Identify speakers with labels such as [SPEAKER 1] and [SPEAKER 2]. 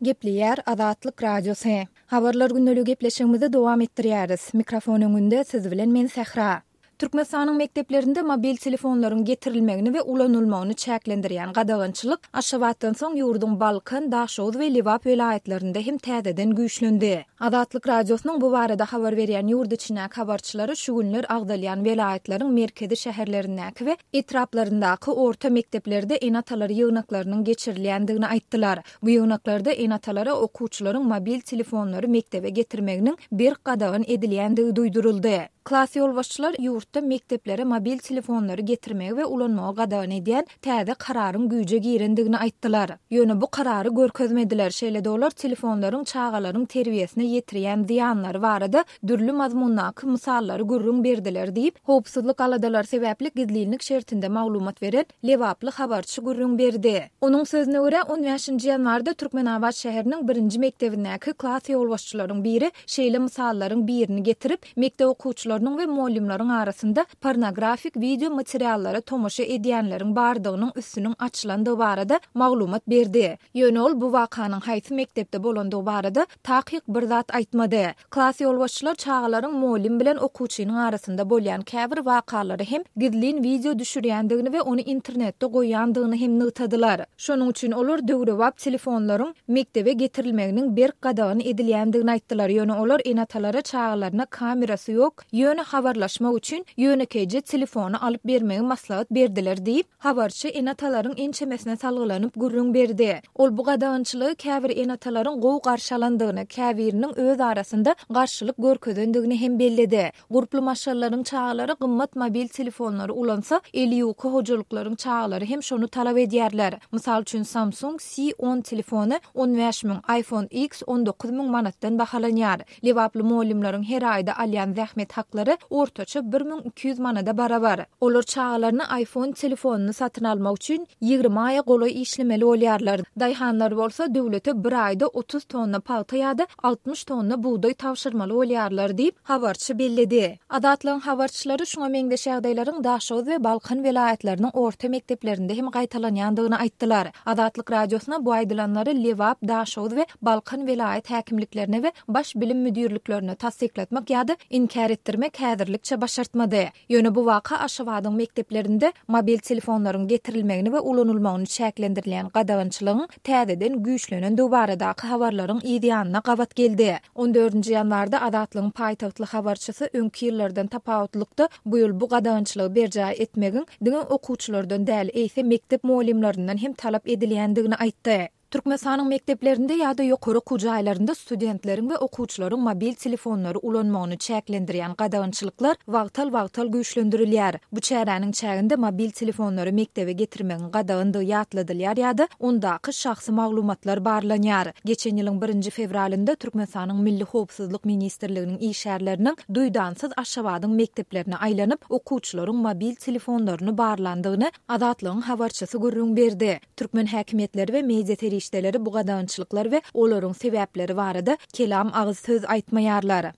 [SPEAKER 1] Gepleýär Azatlyk Radiosy. Habarlar gündeligi gepleşigimizi dowam etdirýäris. Mikrofon öňünde siz bilen men Sähra. Türkmenistanyň mekdeplerinde mobil telefonlaryň getirilmegini we ulanylmagyny çäklendirýän gadagançylyk Aşgabatdan soň ýurduň Balkan, Daşoguz we Lebap welaýatlarynda hem täzeden güýçlendi. Azatlyk Radiosynyň bu barada habar berýän ýurt içindäki habarçylary şu günler agzalýan welaýatlaryň merkezi şäherlerindäki we etraplaryndaky orta mekdeplerde ene-atalar ýygnaklarynyň geçirilýändigini aýtdylar. Bu ýygnaklarda ene-atalara okuwçylaryň mobil telefonlary mekdebe getirmeginiň berk gadagan edilýändigi duýduryldy. Klas ýolbaşçylar ýurtda mekdeplere mobil telefonlary getirmegi we ulanmagy gadagan edýän täze kararyň güýje girendigini aýtdylar. Ýöne bu karary görkezmediler. Şeýle-de olar telefonlaryň çagalaryň terbiýesine ýetirýän zyýanlary barada dürli mazmundaky mysallary gürrüň berdiler diýip, howpsuzlyk aladalary sebäpli gizlinlik şertinde maglumat beren lebaply habarçy gürrüň berdi. Onuň sözüne görä, on bäşinji ýanwarda Türkmenabat şäheriniň birinji mekdebindäki klas ýolbaşçylaryň biri şeýle mysallaryň birini getirip, mekdep okuwçylarynyň we mugallymlaryň arasynda pornografik wideo materiallara tomaşa edýänleriň bardygynyň üstüniň açylandygy barada maglumat berdi. Ýöne ol bu wakanyň haýsy mekdepde bolandygy barada takyk bir zat aýtmady. Klas ýolbaşçylar çagalaryň mugallym bilen okuwçynyň arasynda bolýan käbir wakalary hem gizlin wideo düşürýändigini we ony internetde goýýandygyny hem nygtadylar. Şonuň üçin olar döwrebap telefonlaryň mekdebe getirilmeginiň berk gadagan edilýändigini aýtdylar, ýöne olar ene-atalara çagalaryna kamerasy ýok, ýöne habarlaşmak üçin ýönekeýje telefony alyp bermegi maslahat berdiler diýip, Habarçy ene-atalaryň ençemesine salgylanyp gürrüň berdi. Ol bu gadagançylygy käbir ene-atalaryň gowy garşy alandygyny, käbiriniň öz arasynda garşylyk görkezendigini hem belledi. Gurply maşgalalaryň çagalary gymmat mobil telefonlary ulansa, eli ýuka hojalyklaryň çagalary hem şony talap edýärler. Mysal üçin, Samsung C on telefony 15 müň, iPhone X 19 müň manatdan bahalanýar. Lebaply mugallymlaryň her aýda alýan zähmet haklary ortaça 1200 manada barabar. Olar çagalaryna iPhone telefonyny satyn almak üçin 20 aýa golaý işlemeli bolýarlar. Daýhanlar bolsa döwlete bir aýda 30 tonna pagta ýa-da 60 tonna bugdaý tabşyrmaly bolýarlar diýip, habarçy belledi. Azatlygyň habarçylary şuňa meňzeş ýagdaýlaryň Daşoguz we Balkan welaýatlarynyň orta mekdeplerinde hem gaýtalanýandygyny aýtdylar. Azatlyk Radiosyna bu aýdylanlary Lebap, Daşoguz we Balkan welaýat häkimliklerine we Baş bilim müdirliklerine tassyklatmak ýa-da inkär etdirmek häzirlikçe başartmady. Ýöne bu waka Aşgabadyň mekdeplerinde mobil telefonlaryň getirilmegini we ulanylmagyny çäklendirilýän gadagançylygyň täzeden güýçlenendigi baradaky habarlaryň yz ýanyna gabat geldi. On dördünji ýanwarda Azatlygyň paýtagtly habarçysy öňki ýyllardan tapawutlykda bu ýyl bu gadagançylygy berjaý etmegiň diňe okuwçylardan däl, eýse mekdep mugallymlaryndan hem talap edilýändigini aýtdy. Türkmenistanyň mekdeplerinde ýa-da ýokary okuw jaýlarynda studentleriň we okuwçylaryň mobil telefonlary ulanmagyny çäklendirýän gadagançylyklar wagtal-wagtal güýçlendirilýär. Bu çäräniň çäginde mobil telefonlary mekdebe getirmegiň gadagandygy ýatladylýar ýa-da ondaky şahsy maglumatlar barlanýar. Geçen ýylyň birinji fewralynda Türkmenistanyň Milli howpsuzlyk ministrliginiň işgärleriniň duýdansyz Aşgabadyň mekdeplerine aýlanyp, okuwçylaryň mobil telefonlaryny barlandygyny Azatlygyň habarçysy gürrüň berdi. Türkmen häkimiýetleri we media serişdeleri bu gadagançylyklar we olaryň sebäpleri barada kelam agyz söz aýtmaýarlar.